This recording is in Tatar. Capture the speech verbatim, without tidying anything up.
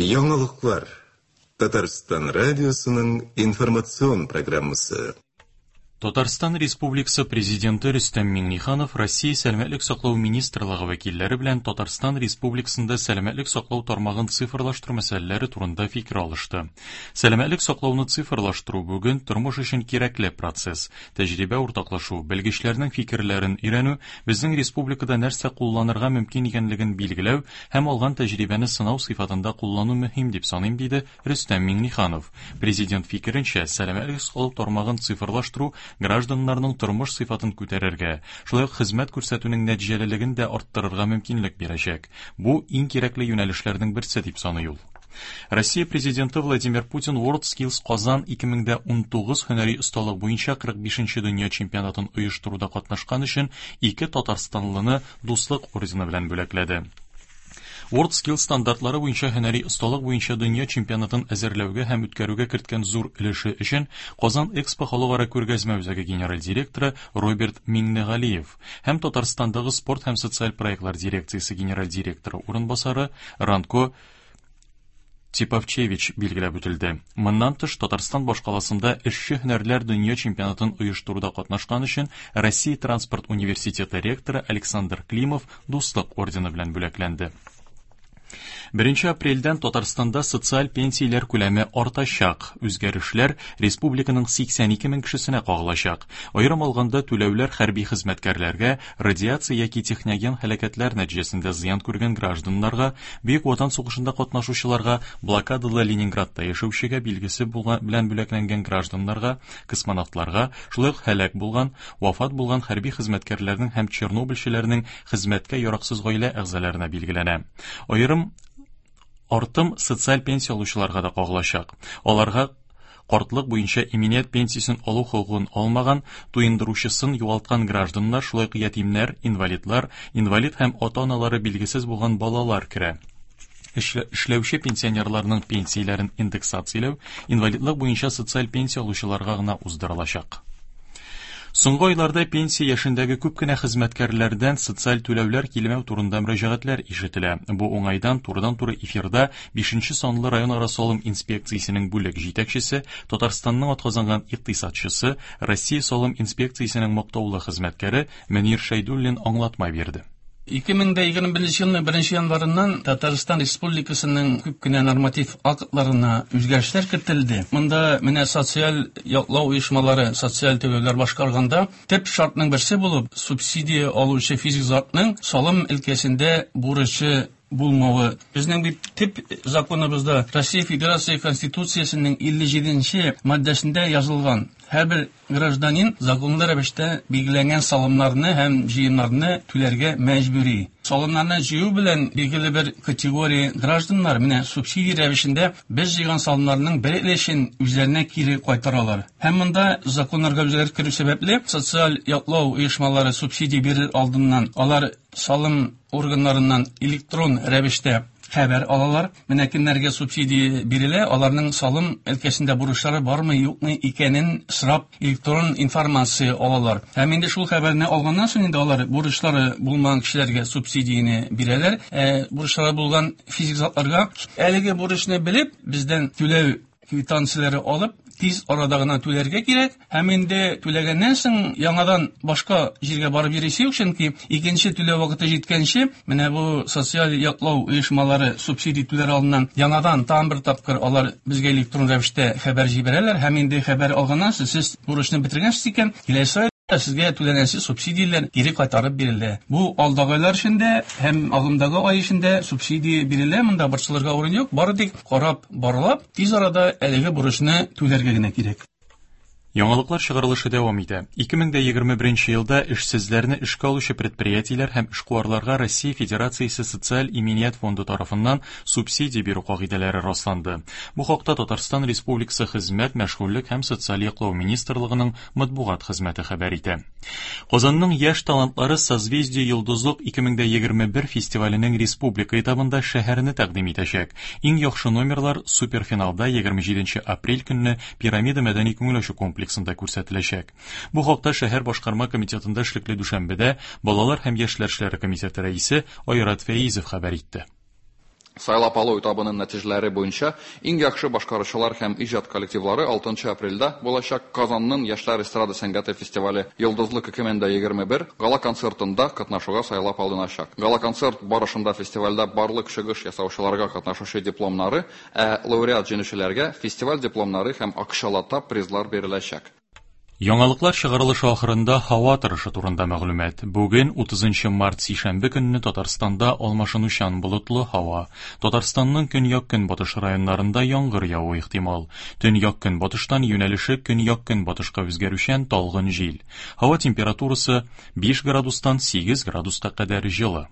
Яңалыклар. Татарстан радиосының информацион программасы. Татарстан Республикасы Президенты Рөстәм Миңнеханов Россия Сәламәтлек саклау министрлыгы вәкилләре белән Татарстан Республикасында сәламәтлек саклау тармагын цифрлаштыру мәсьәләләре турында фикер алышты. Сәламәтлек саклауны цифрлаштыру бүген тормыш өчен кирәкле процесс. Тәҗрибә уртаклашу, белгечләрнең фикерләрен өйрәнү, безнең республикада нәрсә кулланырга мөмкин икәнлеген билгеләү һәм алган тәҗрибәне сынау сыйфатында куллану мөһим дип саныйм, диде Рөстәм Миңнеханов. Президент фикеренчә, сәламәтлек саклау тармагын цифрлаштыру гражданнарның тормыш сыйфатын күтәрергә, шулай ук хезмәт күрсәтүнең нәтиҗәлелеген дә арттырырга мөмкинлек бирәчәк. Бу иң кирәкле юнәлешләрнең берсе дип саный ул. Россия президенты Владимир Путин WorldSkills Казан ике мең дә унтугыз һөнәри осталык буенча кырык бишенче дөнья чемпионатын оештыруда катнашкан өчен ике татарстанлыны Дуслык ордены белән бүләкләде. WorldSkills стандартлары буенча һөнәри осталык буенча дөнья чемпионатын әзерләүгә һәм үткәрүгә керткән зур өлеше өчен Казан Экспо халыкара күргәзмә үзәге генераль директоры Роберт Миңнегалиев һәм Татарстандагы спорт һәм социаль проектлар дирекциясе генераль директоры урынбасары Ранко Типовчевич билгеләп үтелде. Моннан тыш, Татарстан башкаласында эшче һөнәрләр дөнья чемпионатын оештыруда катнашкан өчен Россия транспорт университеты ректоры Александр Климов Дуслык ордены белән бүләкләнде. Беренче апрельдән Татарстанда социаль пенсияләр күләме артачак. Үзгәрешләр республиканың сиксән ике мең кешесенә кагылачак. Аерым алганда түләүләр хәрби хезмәткәрләргә, радиация яки техноген һәлакәтләр нәтиҗәсендә зыян күргән гражданнарга, Бөек Ватан сугышында катнашучыларга, блокадалы Ленинградта яшәүчегә билгесе булган белән бүләкләнгән гражданнарга, космонавтларга, шулай ук һәлак булган, вафат булган хәрби хезмәткәрләрнең һәм чернобыльчеләрнең хезмәткә яраксыз гаилә әгъзаларына билгеләнә. Аерым артым социаль пенсия алучыларга да кагылачак. Аларга картлык буенча иминият пенсиясен алу хокукын алмаган, туендыручысын югалткан гражданнар, шулай ук ятимнәр, инвалидлар, инвалид һәм ата-аналары билгесез булган балалар керә. Эшлә-, эшләүче пенсионерларның пенсияләрен индексацияләү инвалидлык буенча социаль пенсия алучыларга гына уздырылачак. Соңгы айларда пенсия яшендәге күп кенә хезмәткәрләрдән социаль түләүләр килмәү турында мөрәҗәгатьләр ишетелә. Бу уңайдан турыдан-туры эфирда бишенче санлы районара салым инспекциясенең бүлек җитәкчесе, Татарстанның атказанган икътисадчысы, Россия салым инспекциясенең мактаулы хезмәткәре Мөнир Шәйдуллин аңлатма бирде. Ике мең дә егерме беренче елның беренче январыннан Татарстан Республикасының күп кенә норматив актларына үзгәрешләр кертелде. Монда менә социаль яклау оешмалары социаль түләүләр башкарганда төп шартның берсе булып субсидия алучы физик затның салым өлкәсендә бурычы булмавы. Безнең бит төп законыбызда Россия Федерация Конституциясенең илле җиденче маддәсендә язылган һәрбер гражданин законлы рәвештә билгеләнгән салымнарны һәм җыемнарны түләргә мәҗбүри. Салымнарны җыю белән билгеле бер категория гражданнар менә субсидия рәвешендә без җыйган салымнарның бер өлешен үзләренә кире кайтаралар. Һәм монда законнарга үзгәреш керү сәбәпле социаль яклау оешмалары субсидия бирер алдыннан алар салым органнарыннан электрон рәвештә хәбәр алалар. Менә кемнәргә субсидия бирелә, аларның салым өлкәсендә бурычлары бармы, юкмы икәнен сорап электрон информация алалар. Һәм инде шул хәбәрне алганнан соң инде алар бурычлары булмаган кешеләргә субсидияне бирәләр. Ә бурычлары булган физик затларга әлеге бурычны белеп, бездән түләү квитанцияләре алып, тиз арада гына түләргә кирәк. Һәм инде түләгәннән соң яңадан башка җиргә барып йөрисе юк, чөнки икенче түләү вакыты җиткәнче менә бу социаль яклау оешмалары субсидия түләр алдыннан яңадан тагын бер тапкыр алар безгә электрон рәвештә хәбәр җибәрәләр. Һәм инде хәбәр алганнан соң сез бурычны бетергәнсез икән, киләсе айда сезгә түләнәсе субсидияләр кире кайтарып бирелә. Бу алдагы айлар эчендә һәм агымдагы ай эчендә субсидия бирелә, монда борчылырга урын юк, бары тик карап, барлап, тиз арада әлеге бурычны түләргә генә кирәк. Яңалыклар чыгарылышы дәвам итә. Ике мең дә егерме беренче елда эшсезләрне эшкә алучы предприятиеләр һәм эшкуарларга Россия Федерациясе Социаль иминият фонды тарафыннан субсидия бирү кагыйдәләре расланды. Бу хакта Татарстан Республикасы Хезмәт, мәшгульлек һәм социаль яклау министрлыгының матбугат хезмәте хәбәр итә. Казанның яшь талантлары Созвездие Йолдызлык ике мең дә егерме бер фестиваленең республика этабында шәһәрне тәкъдим итәчәк. Иң яхшы номерлар суперфиналда егерме җиденче апрель көнне Пирамида мәдәни күңел ачу комплексында күрсәтеләчәк. Бу хакта шәһәр башкарма комитетында эшлекле дүшәмбедә Балалар һәм яшьләр эшләре комитеты рәисе Айрат Фәизов хәбәр итте. Сайлап алу этабының нәтиҗәләре буенча иң яхшы башкаручылар һәм иҗат коллективлары алтынчы апрельдә булачак Казанның яшьләр эстрада сәнгате фестивале Йолдызлык ике мең дә егерме бер гала-концертында катнашуга сайлап алыначак. Гала-концерт барышында фестивальдә барлык чыгыш ясаучыларга катнашучы дипломнары, ә лауреат-җиңүчеләргә фестиваль дипломнары һәм акчалата призлар биреләчәк. Яңалыклар чыгарылышы ахырында һава торышы турында мәгълүмат. Бүген утызынчы март сишәмбе көнне Татарстанда алмашынучан болытлы һава. Татарстанның көньяк-көнбатыш районнарында яңгыр явуы ихтимал. Төньяк-көнбатыштан юнәлеше көньяк-көнбатышка үзгәрүчән талгын җил. Һава температурасы биш градустан сигез градуска кадәр җылы.